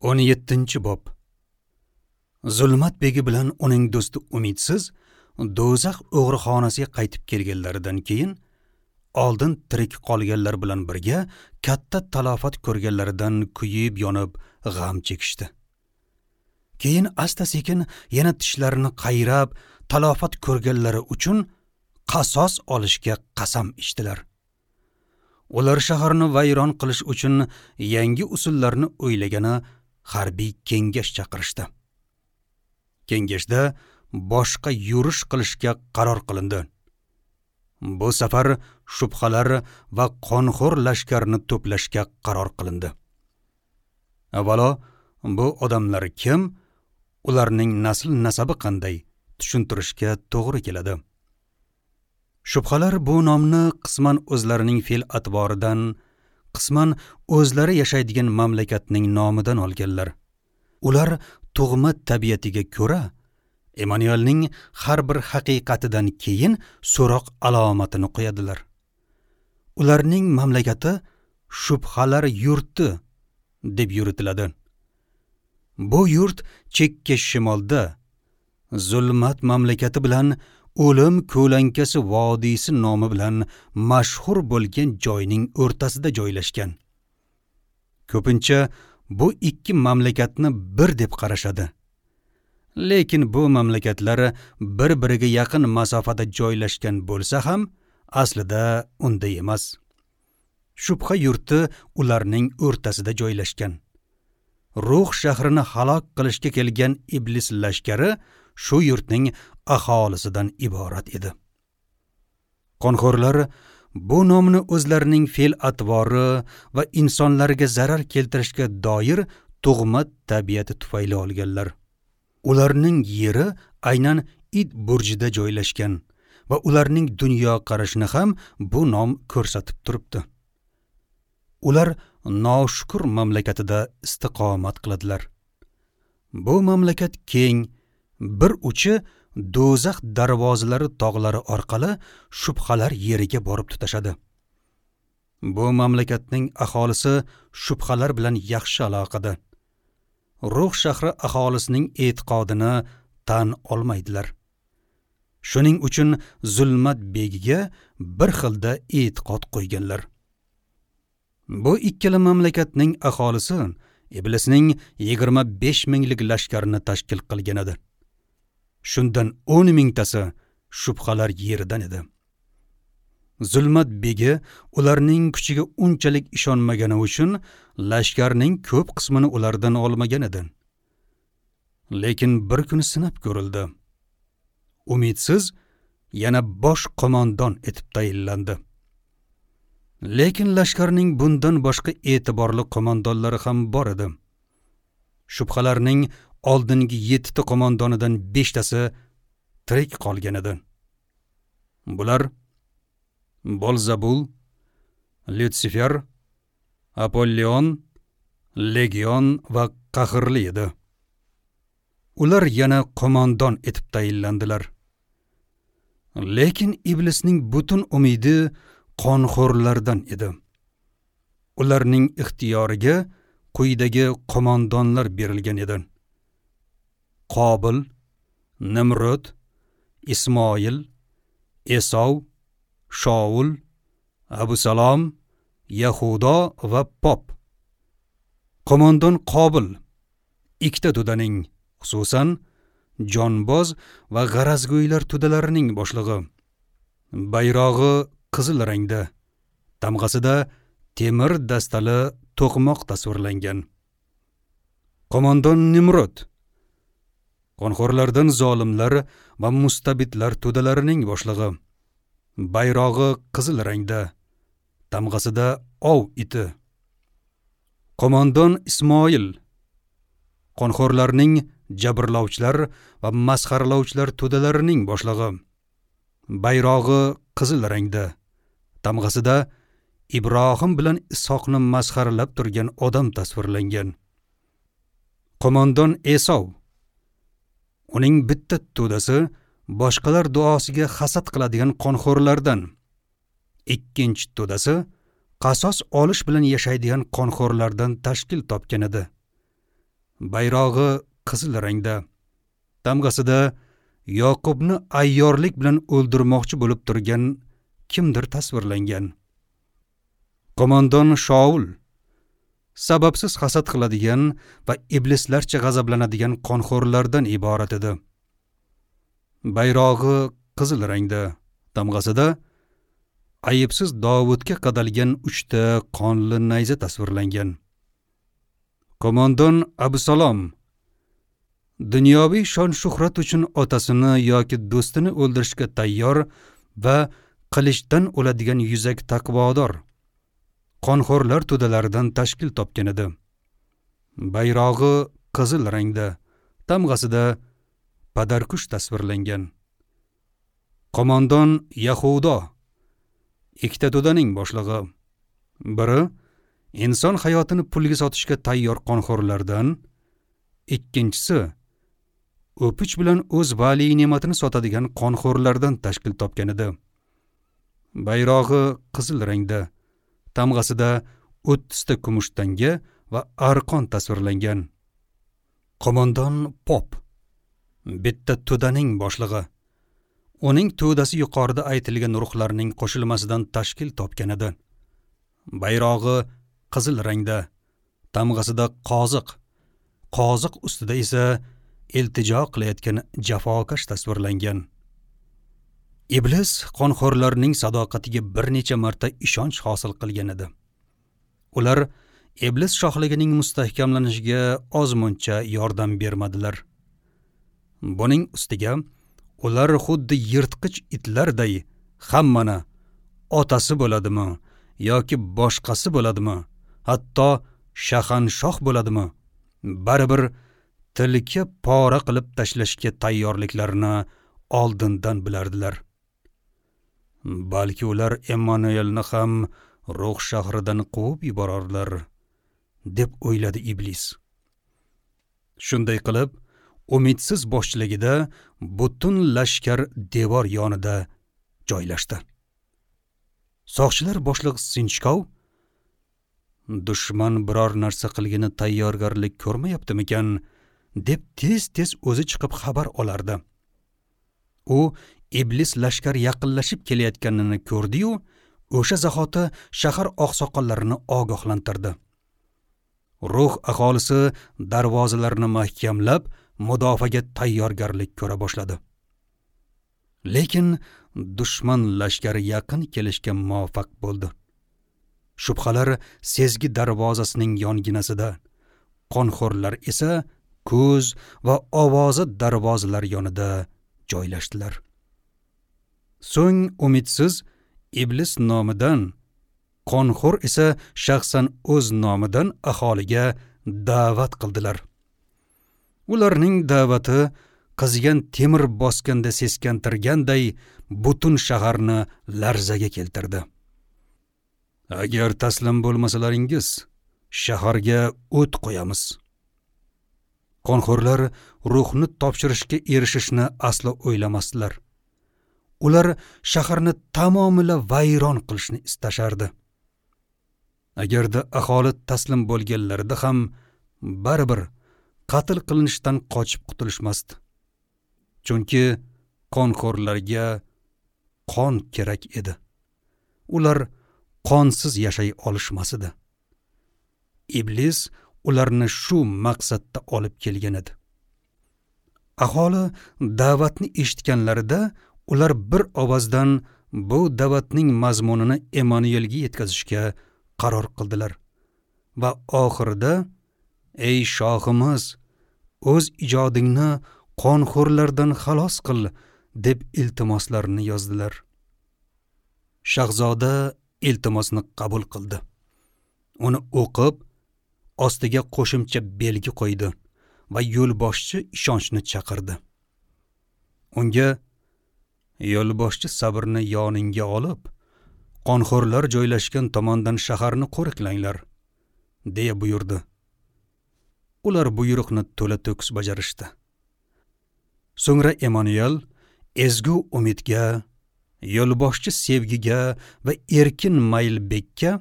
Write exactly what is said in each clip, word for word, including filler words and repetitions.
o'n yettinchi bob. Zulmat begi bilan uning do'sti Umidsiz do'zax o'g'rixonasiga qaytib kelganlaridan keyin oldin tirik qolganlar bilan birga katta talofat ko'rganlaridan kuyib yonib g'am chekishdi. Keyin asta-sekin yana tishlarini qayrab talofat ko'rganlari uchun qasos olishga qasam ichdilar. Ular shaharni vayron qilish uchun yangi usullarni o'ylagani harbiy kengash chaqirishdi. Kengashda boshqa yurish qilishga qaror qilindi. Bu safar shubhalar va qonxo'r lashkarni to'plashga qaror qilindi. Avvalo bu odamlar kim, ularning nasl nasabi qanday tushuntirishga to'g'ri keladi. Shubhalar bu nomni qisman o'zlarining fe'l atvoridan, qisman o'zlari yashaydigan mamlakatning nomidan olganlar. Ular tug'ma tabiatiga ko'ra Emanuelning har bir haqiqatidan keyin so'roq alomatini qo'yadilar. Ularning mamlakati shubhalar yurti deb yuritiladi. Bu yurt chekka shimolda zulmat mamlakati bilan o'lim ko'lankasi vodiysi nomi bilan mashhur bo'lgan joyning o'rtasida joylashgan. Ko'pincha bu ikki mamlakatni bir deb qarashadi. Lekin bu mamlakatlar bir-biriga yaqin masofada joylashgan bo'lsa ham, aslida unday emas. Shubha yurti ularning o'rtasida joylashgan. Ruh shahrini halok qilishga kelgan iblis lashkari shu yurtning aholisidan iborat edi. Qonxo'rlar bu nomni o'zlarining fe'l atvori va insonlarga zarar keltirishga doir tug'ma tabiati tufayli olganlar. Ularning yeri aynan it burjida joylashgan va ularning dunyo qarashini ham bu nom ko'rsatib turibdi. Ular noshukur mamlakatida istiqomat qiladilar. Bu mamlakat keng, bir uchi do'zax darvozalari tog'lari orqali shubhalar yeriga borib tutashadi. Bu mamlakatning aholisi shubhalar bilan yaxshi aloqada. Ruh shahri aholisining e'tiqodini tan olmaydilar. Shuning uchun zulmat begiga bir xilda e'tiqod qo'yganlar. Bu ikkala mamlakatning aholisi iblisning yigirma besh minglik lashkarini tashkil qilgan edi. Shundan o'n mingtasi shubhalar yeridan edi. Zulmat begi ularning kuchiga unchalik ishonmagani uchun lashkarning ko'p qismini ulardan olmagan edi. Lekin bir kun sinab ko'rildi. Umidsiz yana bosh qo'mondon etib tayinlandi. Lekin lashkarning bundan boshqa e'tiborli qo'mondonlari ham bor edi. Shubhalarning oldingi yettita qo'mondonidan beshtasi tirik qolgan edi. Bular Bolzabul, Lyutsifer, Apollyon, Legion va Qahrli edi. Ular yana qo'mondon etib tayinlandilar. Lekin iblisning butun umidi qonxo'rlardan edi. Ularning ixtiyoriga quyidagi qo'mondonlar berilgan edi: Qobil, Nimrod, Ismoil, Esov, Shaul, Abusalom, Yahudo va Pop. Qo'mondon Qobil ikkita to'daning, xususan jonboz va g'arazgo'ylar to'dalarining boshlig'i. Bayrog'i qizil rangda, tamg'asida temir dastali to'qmoq tasvirlangan. Qo'mondon Nimrod qonxo'rlardan zolimlar va mustabidlar to'dalarining boshlig'i. Bayrog'i qizil rangda, tamg'asida ov iti. Qo'mondon Ismoil qonxo'rlarning jabrlovchilar va masxaralovchilar to'dalarining boshlig'i. Bayrog'i qizil rangda, tamg'asida Ibrohim bilan Ishoqni masxaralab turgan odam tasvirlangan. Qo'mondon Esov uning bitta to'dasi boshqalar duosiga hasad qiladigan qonxo'rlardan, ikkinchi to'dasi qasos olish bilan yashaydigan qonxo'rlardan tashkil topgan edi. Bayrog'i qizil rangda. Tamg'asida Yoqubni ayyorlik bilan o'ldirmoqchi bo'lib turgan kimdir tasvirlangan. Qo'mondon Shaul sababsiz hasad qiladigan va iblislarcha g'azablanadigan qonxo'rlardan iborat edi. Bayrog'i qizil rangda. Tamg'asida ayibsiz Dovudga qadalgan uchta qonli nayza tasvirlangan. Qo'mondon Absalom dunyoviy shon-shuhrat uchun otasini yoki do'stini o'ldirishga tayyor va qilichdan o'ladigan yuzak taqvodor qonxo'rlar to'dalaridan tashkil topgan edi. Bayrog'i qizil rangda, tamg'asida padarkush tasvirlangan. Qo'mondon Yahudo ikkita to'daning boshlig'i. Biri inson hayotini pulga sotishga tayyor qonxo'rlardan, ikkinchisi o'pich bilan o'z vali ne'matini sotadigan qonxo'rlardan tashkil topgan edi. Bayrog'i qizil rangda, tamg'asida o'ttizta kumush tanga va arqon tasvirlangan. Qo'mondon Pop bitta to'daning boshlig'i. Uning to'dasi yuqorida aytilgan ruhlarning qo'shilmasidan tashkil topgan edi. Bayrog'i qizil rangda, tamg'asida qoziq, qoziq ustida esa iltijo qilayotgan jafokash tasvirlangan. Iblis qonxo'rlarning sadoqatiga bir necha marta ishonch hosil qilgan edi. Ular iblis shohligining mustahkamlanishiga ozmuncha yordam bermadilar. Buning ustiga ular xuddi yirtqich itlarday hammani, otasi bo'ladimi yoki boshqasi bo'ladimi, hatto shahanshoh bo'ladimi, baribir tilka pora qilib tashlashga tayyorliklarini oldindan bilardilar. Balki ular Emmanuelni ham ruh shahridan quvib yuborarlar, deb o'yladi iblis. Shunday qilib, umidsiz boshchiligida butun lashkar devor yonida joylashdi. Soqchilar boshlig'i Sinchkov dushman biror narsa qilgini tayyorgarlik ko'rmayaptimikan deb tez-tez o'zi chiqib xabar olardi. U iblis lashkar yaqinlashib kelayotganini ko'rdi-yu, o'sha zahoti shahar oqsoqollarini ogohlantirdi. Ruh aholisi darvozalarni mahkamlab, mudofaaga tayyorgarlik ko'ra boshladi. Lekin dushman lashkari yaqin kelishga muvaffaq bo'ldi. Shubhalar sezgi darvozasining yonginasida, qonxo'rlar esa ko'z va ovozi darvozalar yonida joylashdilar. So'ng umidsiz iblis nomidan, qonxo'r esa shaxsan o'z nomidan aholiga da'vat qildilar. Ularning da'vati qizigan temir bosganda seskantirganday butun shaharni larzaga keltirdi. Agar taslim bo'lmasalaringiz, shaharga o't qo'yamiz. Qonxo'rlar ruhni topshirishga erishishni aslo o'ylamasdilar. Ular shaharni tamomila vayron qilishni istashardi. Agarda aholi taslim bo'lganlarida ham baribir qatl qilinishdan qochib qutulishmasdi. Chunki qonxo'rlarga qon kerak edi. Ular qonsiz yashay olishmas edi. Iblis ularni shu maqsadda olib kelgan edi. Aholi da'vatni eshitganlarida ular bir ovozdan bu da'vatning mazmunini Emmanuelga yetkazishga qaror qildilar va oxirida: "Ey shohimiz, o'z ijodingni qonxo'rlardan xalos qil" deb iltimoslarini yozdilar. Shahzoda iltimosni qabul qildi. Uni o'qib, ostiga qo'shimcha belgi qo'ydi va yo'lboshchi ishonchni chaqirdi. Unga: "Yo'lboshchi sabrni yoningga olib, qonxo'rlar joylashgan tomondan shaharni qo'riqlanglar" deya buyurdi. Ular buyruqni to'la to'kis bajarishdi. So'ngra Emmanuel ezgu umidga, yo'lboshchi sevgiga va erkin maylbekka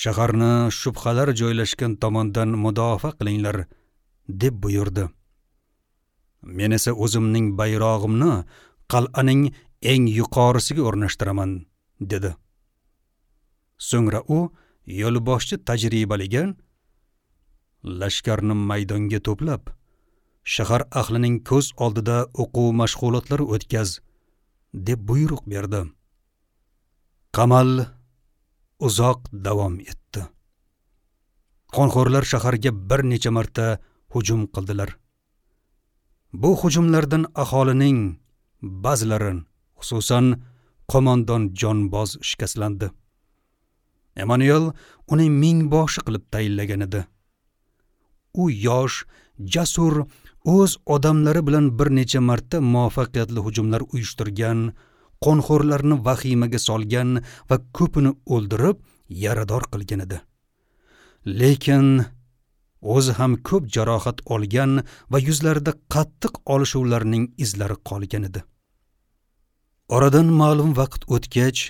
shaharni shubhalar joylashgan tomondan mudofaa qilinglar deb buyurdi. Men esa o'zimning bayrog'imni qal'aning eng yuqorisiga o'rnashtiraman, dedi. So'ngra u yo'lboshchi tajribaliga lashkarni maydonga to'plab, shahar ahlining ko'z oldida o'quv mashg'ulotlari o'tkaz, deb buyruq berdi. Qamal uzoq davom etdi. Qonxo'rlar shaharga bir necha marta hujum qildilar. Bu hujumlardan aholining ba'zilari, xususan qo'mondon Jonboz shikastlandi. Emanuel uni mingboshi qilib tayinlagan edi. U yosh, jasur, o'z odamlari bilan bir necha marta muvaffaqiyatli hujumlar uyushtirgan, qonxo'rlarni vahimaga solgan va ko'pini o'ldirib, yarador qilgan edi. Lekin o'zi ham ko'p jarohat olgan va yuzlarida qattiq olishuvlarning izlari qolgan edi. Oradan ma'lum vaqt o'tgach,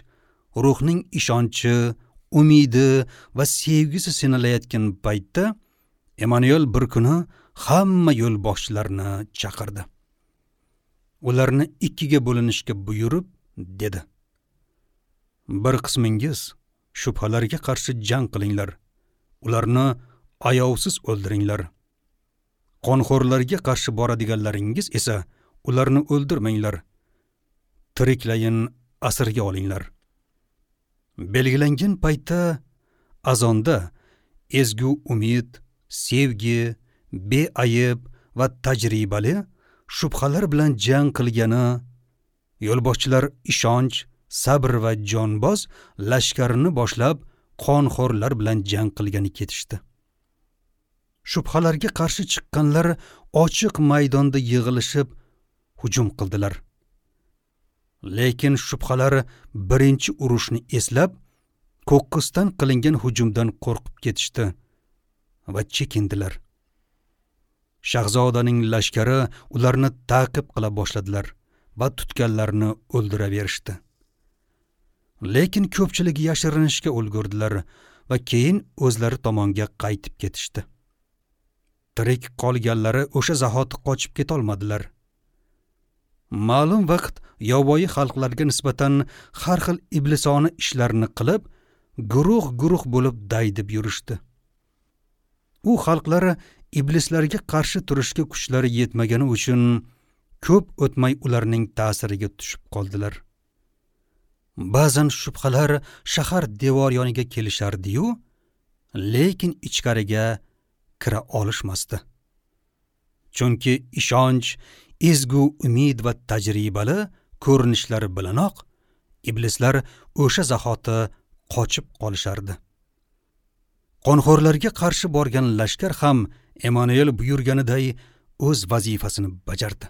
ruhning ishonchi, umidi va sevgisi sinalayotgan paytda Emanuel bir kuni hamma yo'lboshchilarni chaqirdi. Ularni ikkiga bo'linishga buyurib, dedi: Bir qismingiz shubhalarga qarshi jang qilinglar. Ularni ayovsiz o'ldiringlar. Qonxo'rlarga qarshi boradiganlaringiz esa ularni o'ldirmanglar. Tiriklayin asirga olinglar. Belgilangan paytda azonda ezgu umid, sevgi, beayb va tajribali shubhalar bilan jang qilgani, yo'lboshchilar ishonch, sabr va jonboz lashkarini boshlab qonxo'rlar bilan jang qilgani ketishdi. Shubhalarga qarshi chiqqanlar ochiq maydonda yig'ilishib hujum qildilar. Lekin shubhalar birinchi urushni eslab, qo'qqisdan qilingan hujumdan qo'rqib ketishdi va chekindilar. Shahzodaning lashkari ularni ta'qib qila boshladilar va tutganlarni o'ldiraverishdi. Lekin ko'pchiligi yashirinishga ulgurdilar va keyin o'zlari tomonga qaytib ketishdi. Tirik qolganlari o'sha zahoti qochib keta olmadilar. Ma'lum vaqt yovvoyi xalqlarga nisbatan har xil iblisona ishlarni qilib, guruh-guruh bo'lib daydib yurishdi. U xalqlar iblislarga qarshi turishga kuchlari yetmagani uchun ko'p o'tmay ularning ta'siriga tushib qoldilar. Ba'zan shubhalar shahar devor yoniga kelishardi-yu, lekin ichkariga kira olishmasdi. Chunki ishonch, ezgu umid va tajribali ko'rinishlari bilanoq iblislar o'sha zahoti qochib qolishardi. Qonxo'rlarga qarshi borgan lashkar ham Emanuel buyurganiday o'z vazifasini bajardi.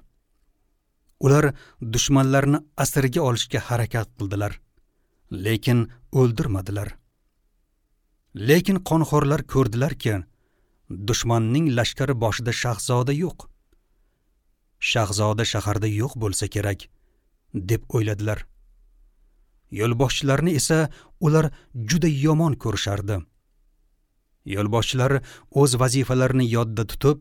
Ular dushmanlarni asirga olishga harakat qildilar, lekin o'ldirmadilar. Lekin qonxo'rlar ko'rdilarki, dushmanning lashkari boshida shahzoda yo'q. Shahzoda shaharda yo'q bo'lsa kerak, deb o'yladilar. Yo'lboshchilarni esa ular juda yomon ko'rishardi. Yo'lboshchilar o'z vazifalarini yodda tutib,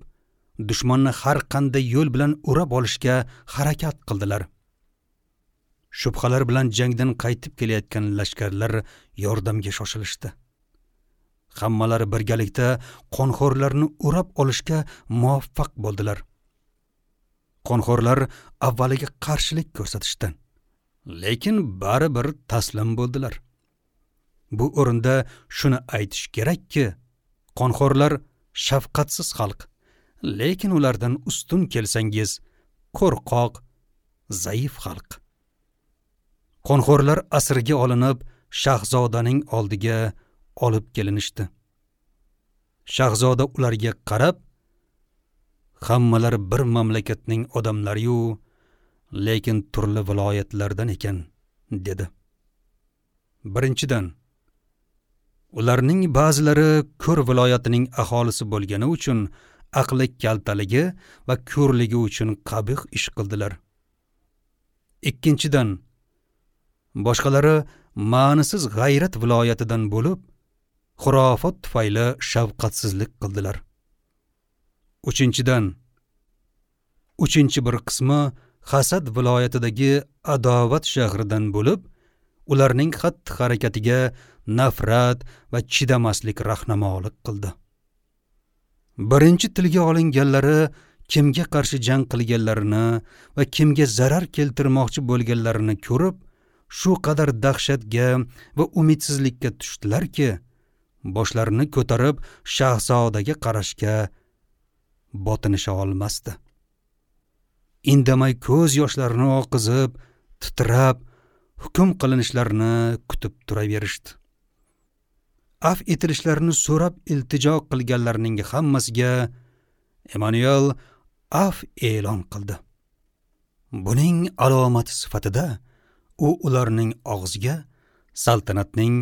dushmanni har qanday yo'l bilan urab olishga harakat qildilar. Shubhalar bilan jangdan qaytib kelayotgan lashkarlar yordamga shoshilishdi. Hammalari birgalikda qonxo'rlarni urab olishga muvaffaq bo'ldilar. Qonxo'rlar avvaliga qarshilik ko'rsatishdi, lekin baribir taslim bo'ldilar. Bu o'rinda shuni aytish kerakki, qonxo'rlar shafqatsiz xalq, lekin ulardan ustun kelsangiz, qo'rqoq, zaif xalq. Qonxo'rlar asirga olinib, shahzodaning oldiga olib kelinishdi. Shahzoda ularga qarab, hammalari bir mamlakatning odamlari-yu, lekin turli viloyatlardan ekan, dedi. Birinchidan, ularning ba'zilari Ko'r viloyatining aholisi bo'lgani uchun aqli kaltaligi va ko'rligi uchun qabih ish qildilar. Ikkinchidan, boshqalari ma'nisiz g'ayrat viloyatidan bo'lib, xurofot tufayli shafqatsizlik qildilar. Uchinchidan, uchinchi bir qismi Hasad viloyatidagi Adovat shahridan bo'lib, ularning xatti-harakatiga nafrat va chidamaslik rahnamolik qildi. Birinchi tilga olinganlari kimga qarshi jang qilganlarini va kimga zarar keltirmoqchi bo'lganlarini ko'rib, shu qadar dahshatga va umidsizlikka tushdilarki, boshlarini ko'tarib shahzodaga qarashga botinisha olmasdi. Indamay ko'z yoshlarini oqizib, titrab, hukm qilinishlarini kutib turaverishdi. Af etilishlarini so'rab iltijo qilganlarning hammasiga Emanuel af e'lon qildi. Buning alomati sifatida u ularning og'ziga saltanatning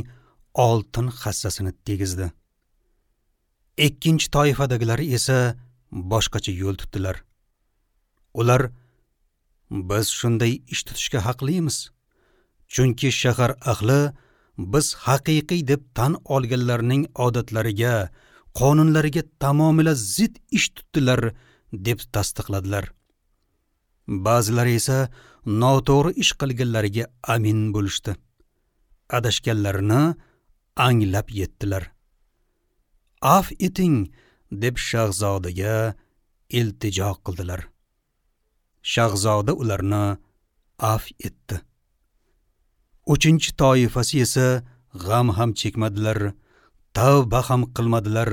oltin hassasini tegizdi. Ikkinchi toifadagilari esa boshqacha yo'l tutdilar. Ular biz shunday ish tutishga haqlimiz, chunki shahar ahli biz haqiqiy deb tan olganlarning odatlariga, qonunlariga tamomila zid ish tutdilar deb tasdiqladilar. Ba'zilari esa noto'g'ri ish qilganlariga amin bo'lishdi. Adashganlarini anglab yetdilar. Af eting deb shahzodaga iltijo qildilar. Shahzoda ularni af etdi. Uchinchi toifasi esa g'am ham chekmadilar, tavba ham qilmadilar,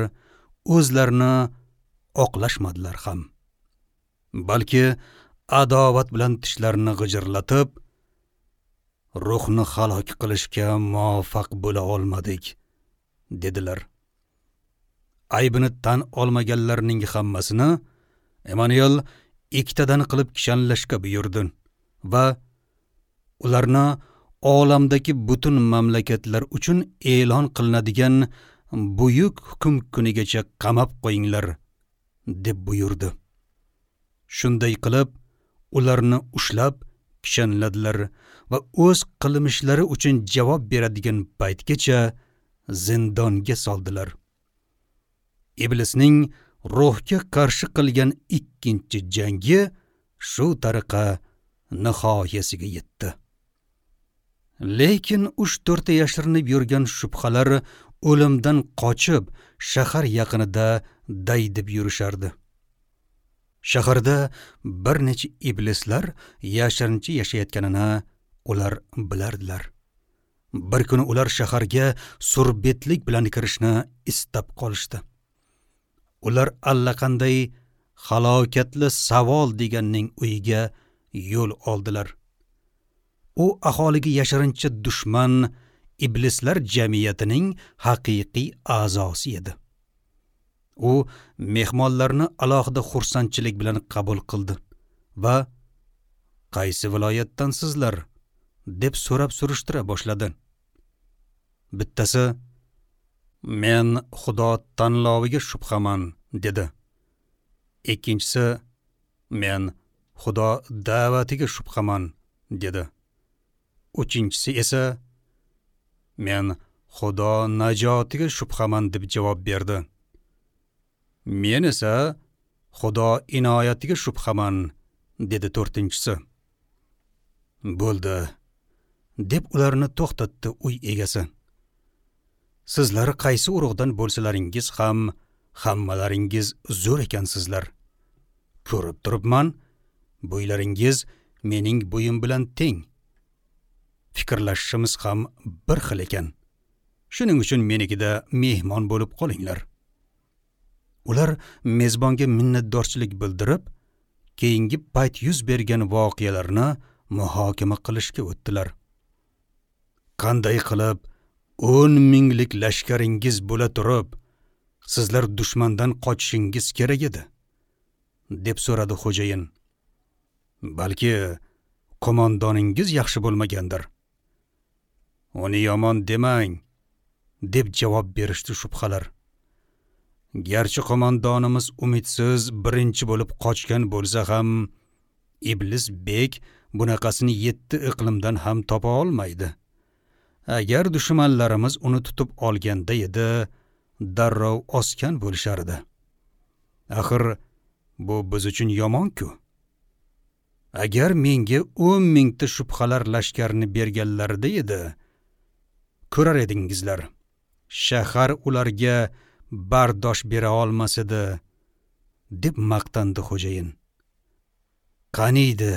o'zlarini oqlashmadilar ham. Balki adovat bilan tishlarini g'ijirlatib, ruhni halok qilishga muvaffaq bo'la olmadik, dedilar. Aybini tan olmaganlarning hammasini Emanuel ikkitadan qilib kishanlashga buyurdi va ularni olamdagi butun mamlakatlar uchun e'lon qilinadigan buyuk hukm kunigacha qamab qo'yinglar, deb buyurdi. Shunday qilib ularni ushlab kishanladilar va o'z qilmishlari uchun javob beradigan paytgacha zindonga soldilar. Iblisning ruhga qarshi qilgan ikkinchi jangi shu tariqa nihoyasiga yetdi. Lekin uch-to'rtta yashirinib yurgan shubhalar o'limdan qochib shahar yaqinida daydib yurishardi. Shaharda bir necha iblislar yashirincha yashayotganini ular bilardilar. Bir kuni ular shaharga surbetlik bilan kirishni istab qolishdi. Ular allaqanday halokatli savol deganning uyiga yo'l oldilar. U aholiga yashirincha dushman iblislar jamiyatining haqiqiy a'zosi edi. U mehmonlarni alohida xursandchilik bilan qabul qildi va qaysi viloyatdansizlar deb so'rab surishtira boshladi. Bittasi men Xudo tanloviga shubhaman dedi. Ikkinchisi men Xudo da'vatiga shubhaman dedi. Uchinchisi esa men Xudo najotiga shubhaman deb javob berdi. Men esa Xudo inoyatiga shubhaman dedi to'rtinchisi. Bo'ldi, deb ularni to'xtatdi uy egasi. Sizlar qaysi urug'dan bo'lsalaringiz ham hammalaringiz zo'r ekansizlar. Ko'rib turibman, bo'ylaringiz mening bo'yim bilan teng. Fikrlashishimiz ham bir xil ekan. Shuning uchun menikida mehmon bo'lib qolinglar. Ular mezbonga minnatdorchilik bildirib, keyingi payt yuz bergan voqealarni muhokama qilishga o'tdilar. Qanday qilib o'n minglik lashkaringiz bo'la turib, sizlar dushmandan qochishingiz kerak edi, deb so'radi xo'jayin. Balki qo'mondoningiz yaxshi bo'lmagandir. Uni yomon demang, deb javob berishdi shubhalar. Garchi qo'mondonimiz umidsiz birinchi bo'lib qochgan bo'lsa ham, Iblis bek bunaqasini yetti iqlimdan ham topa olmaydi. Agar dushmanlarimiz uni tutib olganda edi, darrov osgan bo'lishardi. Axir Bu biz uchun yomon-ku. Agar menga o'n mingta shubhalar lashkarini berganlarida edi, ko'rar edingizlar, shahar ularga bardosh bera olmas edi, deb maqtandi xo'jayin. Qaniydi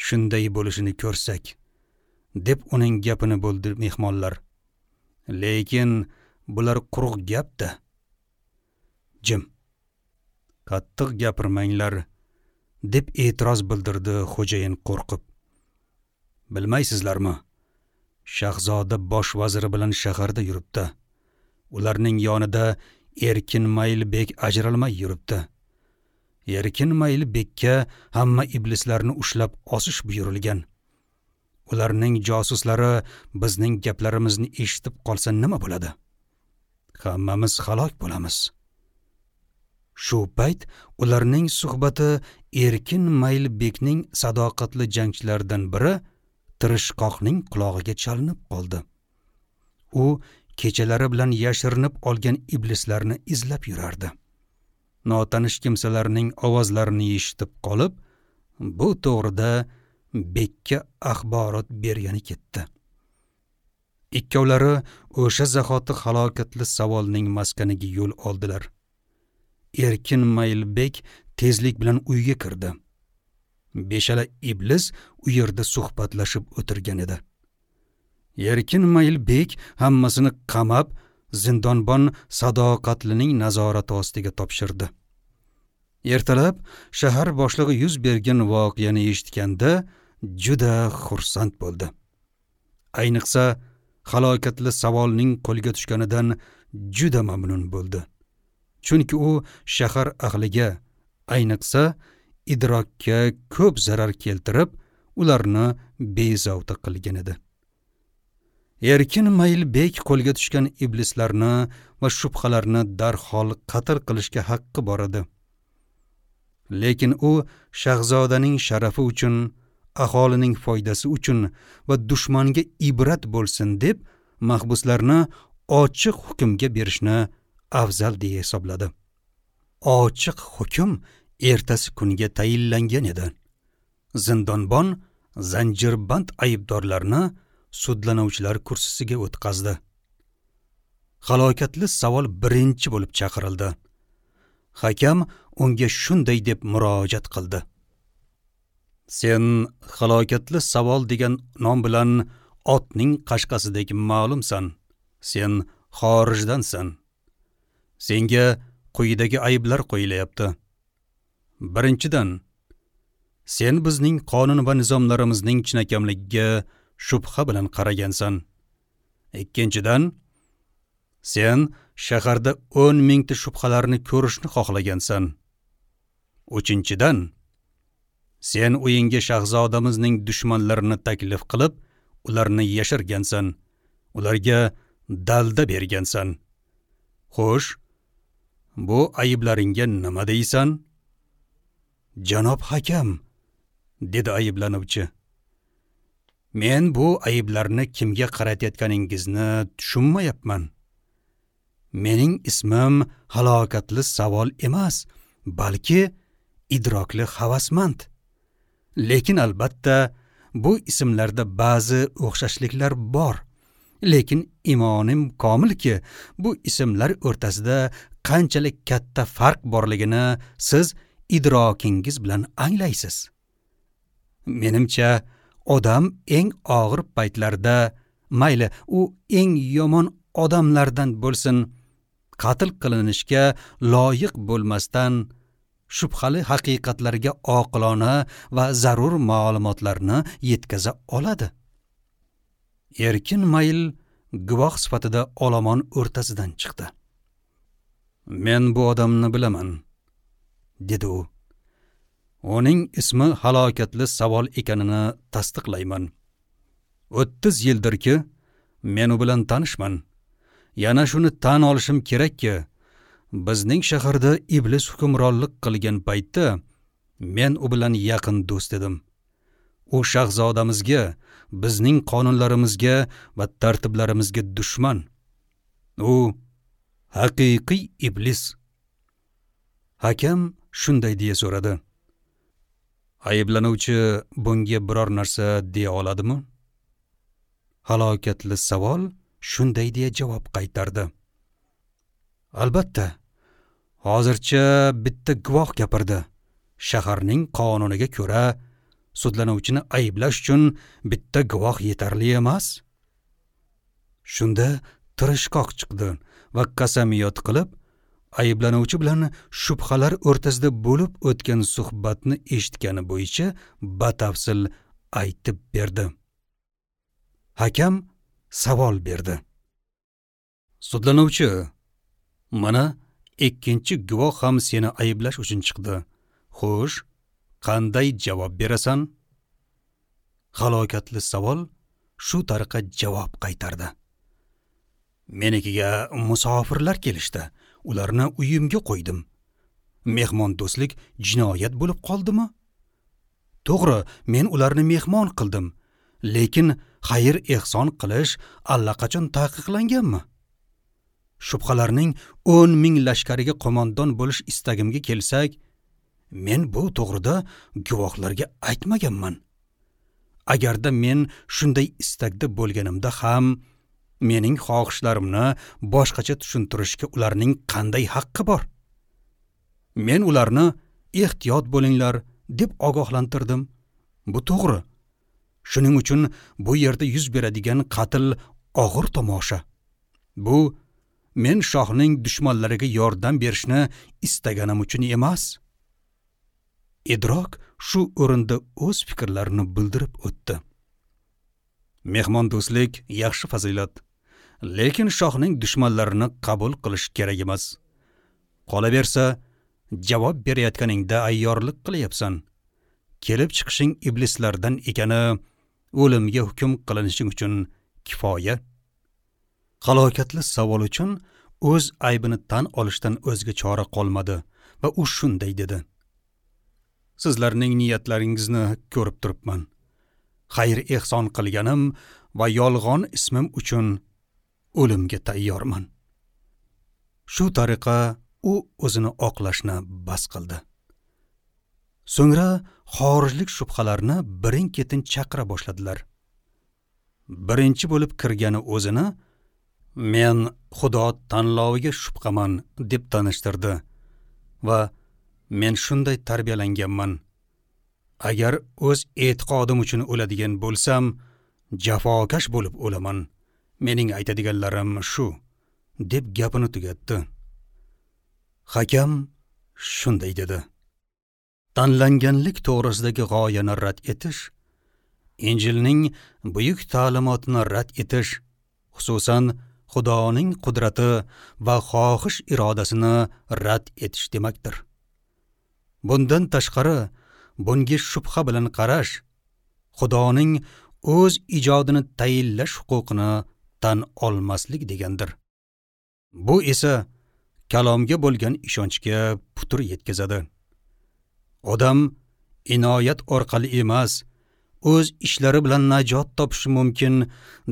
shunday bo'lishini ko'rsak, deb uning gapini bo'ldi mehmonlar. Lekin bular quruq gap-da. Jim. Qattiq gapirmanglar, deb e'tiroz bildirdi xo'jayin qo'rqib. Bilmaysizlarmi? Shahzoda bosh vaziri bilan shaharda yuribdi. Ularning yonida Erkin Maylbek ajralmay yuribdi. Erkin Maylbekka hamma iblislarni ushlab osish buyurilgan. Ularning josuslari bizning gaplarimizni eshitib qolsa nima bo'ladi? Hammamiz halok bo'lamiz. Shu payt ularning suhbati Erkin Maylbekning sadoqatli jangchilaridan biri Tirishqoqning qulog'iga chalinib qoldi. U kechalari bilan yashirinib olgan iblislarni izlab yurardi. Notanish kimsalarning ovozlarini eshitib qolib, bu to'g'rida bekka axborot bergani ketdi. Ikkovlari o'sha zahoti halokatli savolning maskaniga yo'l oldilar. Erkin Maylbek tezlik bilan uyga kirdi. Beshala iblis u yerda suhbatlashib o'tirgan edi. Erkin Maylbek hammasini qamab, zindonbon sadoqatlining nazorati ostiga topshirdi. Ertalab shahar boshlig'i yuz bergan voqeani eshitganda juda xursand bo'ldi. Ayniqsa halokatli savolning qo'lga tushganidan juda mamnun bo'ldi. Chunki u shahar ahliga, ayniqsa idrokka ko'p zarar keltirib, ularni bezovta qilgan edi. Erkin Maylbek qo'lga tushgan iblislarni va shubhalarni darhol qatl qilishga haqqi bor edi. Lekin u shahzodaning sharafi uchun, aholining foydasi uchun va dushmanga ibrat bo'lsin deb mahbuslarni ochiq hukmga berishni afzal deya hisobladi. Ochiq hukm ertasi kunga tayinlangan edi. Zindonbon zanjirband aybdorlarni sudlanuvchilar kursisiga o'tkazdi. Halokatli savol birinchi bo'lib chaqirildi. Hakam unga shunday deb murojaat qildi: Sen halokatli savol degan nom bilan otning qashqasidek ma'lumsan. Sen xorijdansan. Senga quyidagi ayblar qo'yilyapti. Birinchidan, sen bizning qonun va nizomlarimizning chinakамligiga shubha bilan qaragansan. Ikkinchidan, sen shaharda o'n mingta shubhalarni ko'rishni xohlagansan. Uchinchidan, sen uyingga shahzodamizning dushmanlarini taklif qilib, ularni yashirgansan, ularga dalda bergansan. Xo'sh, bu ayblaringga nima deysan? Janob hakam, dedi ayblanuvchi. Men bu ayblarni kimga qaratayotganingizni tushunmayapman. Mening ismim halokatli savol emas, balki idrokli havasmand. Lekin albatta bu ismlarda ba'zi o'xshashliklar bor. Lekin imonim komilki, bu ismlar o'rtasida qanchalik katta farq borligini siz idrokingiz bilan anglaysiz. Menimcha, odam eng og'ir paytlarda, mayli u eng yomon odamlardan bo'lsin, qatl qilinishga loyiq bo'lmasdan shubhali haqiqatlarga oqilona va zarur ma'lumotlarni yetkaza oladi. Erkin Mayl guvoh sifatida olomon o'rtasidan chiqdi. Men bu odamni bilaman, dedi u. Uning ismi halokatli savol ekanini tasdiqlayman. o'ttiz yildirki men u bilan tanishman. Yana shuni tan olishim kerakki, bizning shaharda iblis hukmronlik qilgan paytda men u bilan yaqin do'st edim. U shahzodamizga, bizning qonunlarimizga va tartiblarimizga dushman. U haqiqiy iblis. Hakam shunday deya so'radi: Ayblanuvchi bunga biror narsa deya oladimi? Halokatli savol shunday deya javob qaytardi: Albatta, hozircha bitta guvoh gapirdi. Shaharning qonuniga ko'ra sudlanuvchini ayblash uchun bitta guvoh yetarli emas. Shunda tirishqoq chiqdi va qasamiyot qilib, ayblanuvchi bilan shubhalar o'rtasida bo'lib o'tgan suhbatni eshitgani bo'yicha batafsil aytib berdi. Hakam savol berdi: Sudlanuvchi, mana ikkinchi guvoh ham seni ayblash uchun chiqdi. Xo'sh, qanday javob berasan? Halokatli savol shu tariqa javob qaytardi: Menikiga musofirlar kelishdi. Ularni uyimga qo'ydim. Mehmondo'stlik jinoyat bo'lib qoldimi? To'g'ri, men ularni mehmon qildim, lekin xayr ehson qilish allaqachon taqiqlanganmi? Shubhalarning o'n ming lashkariga qo'mondon bo'lish istagimga kelsak, men bu to'g'rida guvohlarga aytmaganman. Agarda men shunday istakda bo'lganimda ham mening xohishlarimni boshqacha tushuntirishga ularning qanday haqqi bor? Men ularni ehtiyot bo'linglar deb ogohlantirdim. Bu to'g'ri. Shuning uchun bu yerda yuz beradigan qatl og'ir tomosha. Bu men shohning dushmanlariga yordam berishni istaganim uchun emas. Idrok shu o'rinda o'z fikrlarini bildirib o'tdi. Mehmondo'stlik yaxshi fazilat, lekin shohning dushmanlarini qabul qilish kerak emas. Qolaversa, javob berayotganingda ayyorlik qilyapsan. Kelib chiqishing iblislardan ekani o'limga hukm qilinishing uchun kifoya. Halokatli savol uchun o'z aybini tan olishdan o'zga chora qolmadi va u shunday dedi: Sizlarning niyatlaringizni ko'rib turibman. Xayr ehson qilganim va yolg'on ismim uchun o'limga tayyorman. Shu tariqa u o'zini oqlashni bas qildi. So'ngra xorijlik shubhalarni birin-ketin chaqira boshladilar. Birinchi bo'lib kirgani o'zini men Xudo tanloviga shubhaman deb tanishtirdi va men shunday tarbiyalanganman. Agar o'z e'tiqodim uchun o'ladigan bo'lsam, jafokash bo'lib o'laman. Mening aytadiganlarim shu, deb gapini tugatdi. Hakam shunday dedi: Tanlanganlik to'g'risidagi g'oyani rad etish, Injilning buyuk ta'limotini rad etish, xususan Xudoning qudrati va xohish irodasini rad etish demakdir. Bundan tashqari, bunga shubha bilan qarash, Xudoning o'z ijodini tayinlash huquqini tan olmaslik degandir. Bu esa kalomga bo'lgan ishonchga putur yetkazadi. Odam inoyat orqali emas, o'z ishlari bilan najot topishi mumkin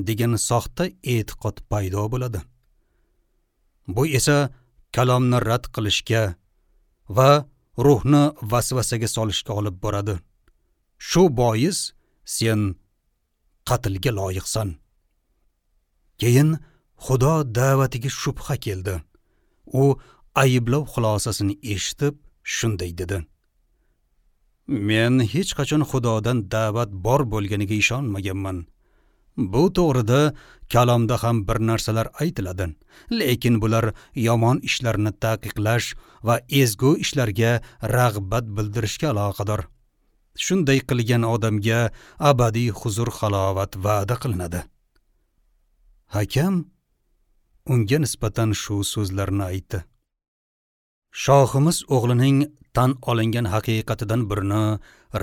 degan soxta e'tiqod paydo bo'ladi. Bu esa kalomni rad qilishga va ruhni vasvasaga solishga olib boradi. Shu bois sen qatlga loyiqsan. Keyin Xudo da'vatiga shubha keldi. U ayblov xulosasini eshitib shunday dedi: Men hech qachon Xudodan da'vat bor bo'lganiga ishonmaganman. Bu to'g'rida kalomda ham bir narsalar aytiladi, lekin bular yomon ishlarni taqiqlash va ezgu ishlarga rag'bat bildirishga aloqador. Shunday qilgan odamga abadiy huzur halovat va'da qilinadi. Hakam unga nisbatan shu so'zlarni aytdi: Shohimiz o'g'lining tan olingan haqiqatidan birini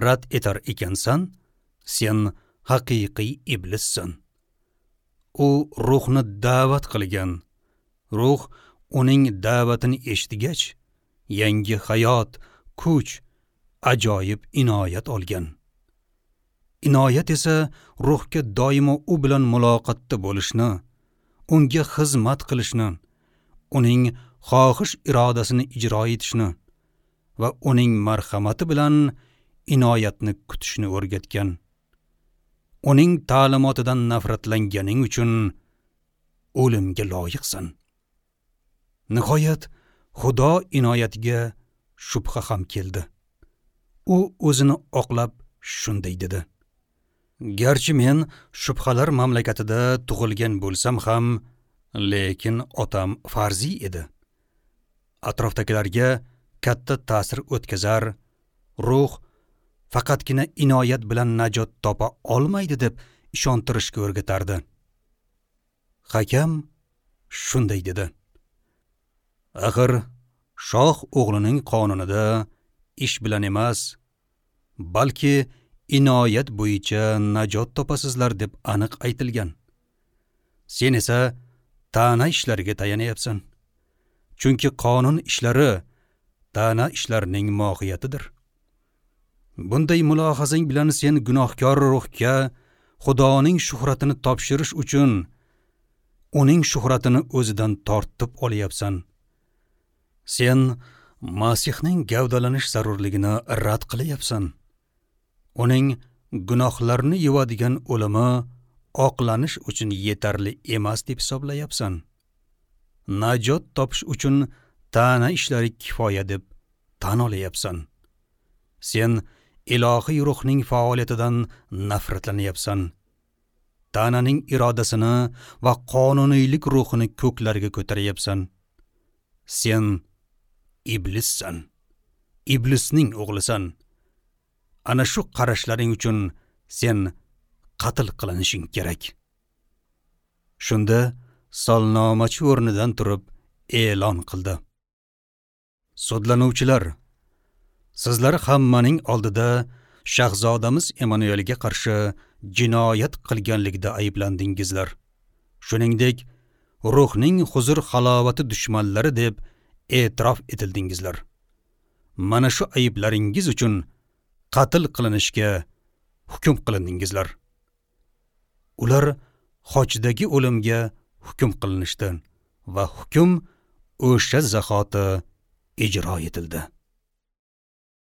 rad etar ekansan, sen haqiqiy iblissan. U ruhni da'vat qilgan. Ruh uning da'vatini eshitgach, yangi hayot, kuch, ajoyib inoyat olgan. Inoyat esa ruhga doimo u bilan muloqotda bo'lishni, unga xizmat qilishni, uning xohish irodasini ijro etishni, va uning marhamati bilan inoyatni kutishni o'rgatgan. Uning ta'limotidan nafratlanganing uchun o'limga loyiqsan. Nihoyat Xudo inoyatiga shubha ham keldi. U o'zini oqlab shunday dedi: Garchi men shubhalar mamlakatida tug'ilgan bo'lsam ham, lekin otam farziy edi. Atrofdagilarga katta ta'sir o'tkazar, ruh faqatgina inoyat bilan najot topa olmaydi deb ishontirishga o'rgatardi. Hakam shunday dedi: Axir shoh o'g'lining qonunida ish bilan emas, balki inoyat bo'yicha najot topasizlar deb aniq aytilgan. Sen esa ta'na ishlariga tayanyapsan. Chunki qonun ishlari ta'na ishlarining mohiyatidir. Bunday mulohazang bilan sen gunohkor ruhga Xudoning shuhratini topshirish uchun uning shuhratini o'zidan tortib olyapsan. Sen Masihning gavdalanish zarurligini rad qilyapsan. Uning gunohlarni yuvadigan o'limi oqlanish uchun yetarli emas deb hisoblayapsan. Najot topish uchun ta'na ishlari kifoya deb tan olyapsan. Sen ilohiy ruhning faoliyatidan nafratlanyapsan. Ta'naning irodasini va qonuniylik ruhini ko'klarga ko'taryapsan. Sen iblissan. Iblisning o'g'lisan. Ana shu qarashlaring uchun sen qatl qilinishing kerak. Shunda solnomachi o'rnidan turib e'lon qildi: Sudlanuvchilar, sizlar hammaning oldida shahzodamiz Emanuelga qarshi jinoyat qilganlikda ayblandingizlar. Shuningdek, ruhning huzur halovati dushmanlari deb e'tirof etildingizlar. Mana shu ayblaringiz uchun qatl qilinishga hukm qilindingizlar. Ular xochdagi o'limga hukm qilinishdi va hukm o'sha zahoti ijro etildi.